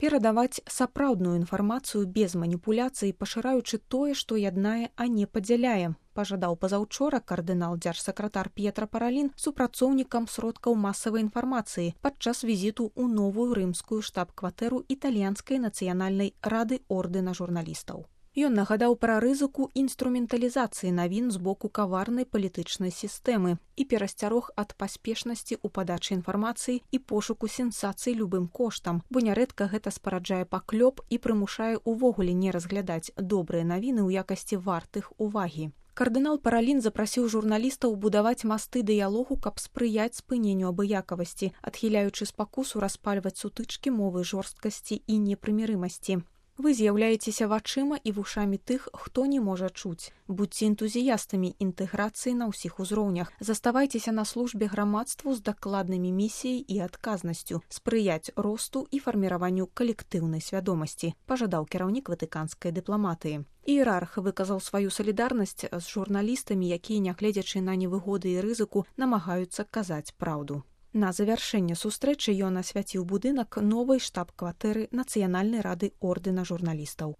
Перадаваць сапраўдную інфармацыю без маніпуляцый, пашыраючы тое, што яднае, а не падзяляе, пажадаў пазаўчора кардынал-дзяржсакратар П'етра Паралін супрацоўнікам сродкаў масавай інфармацыі падчас візіту ў новую рымскую штаб-кватэру італьянскай нацыянальнай рады ордэна журналістаў. Ён нагадаў пра рызыку інструменталізацыі навін з боку каварнай палітычнай сістэмы і перасцярог ад паспешнасці ў падачы інфармацыі і пошуку сенсацый любым коштам, бо нярэдка гэта спараджае паклёп і прымушае ўвогуле не разглядаць добрыя навіны ў якасці вартых увагі. Кардынал Паралін запрасіў журналістаў будаваць масты дыялогу, каб спрыяць спыненню абыякавасці, адхіляючы спакусу распальваць сутычкі мовы жорсткасці і непрымірымасці. Вы з'яўляецеся вачыма і вушамі тых, хто не можа чуць. Будзьце энтузіястамі інтэграцыі на ўсіх узроўнях. Заставайцеся на службе грамадству з дакладнымі місіяй і адказнасцю, спрыяць росту і фарміраванню калектыўнай свядомасці, пажадаў кіраўнік ватыканскай дыпламатыі. Іерарх выказаў сваю салідарнасць з журналістамі, якія, нягледзячы на невыгоды і рызыку, намагаюцца казаць праўду. На завяршэнне сустрэчы ён асвяціў будынак новай штаб-кватэры Нацыянальнай рады ордэна журналістаў.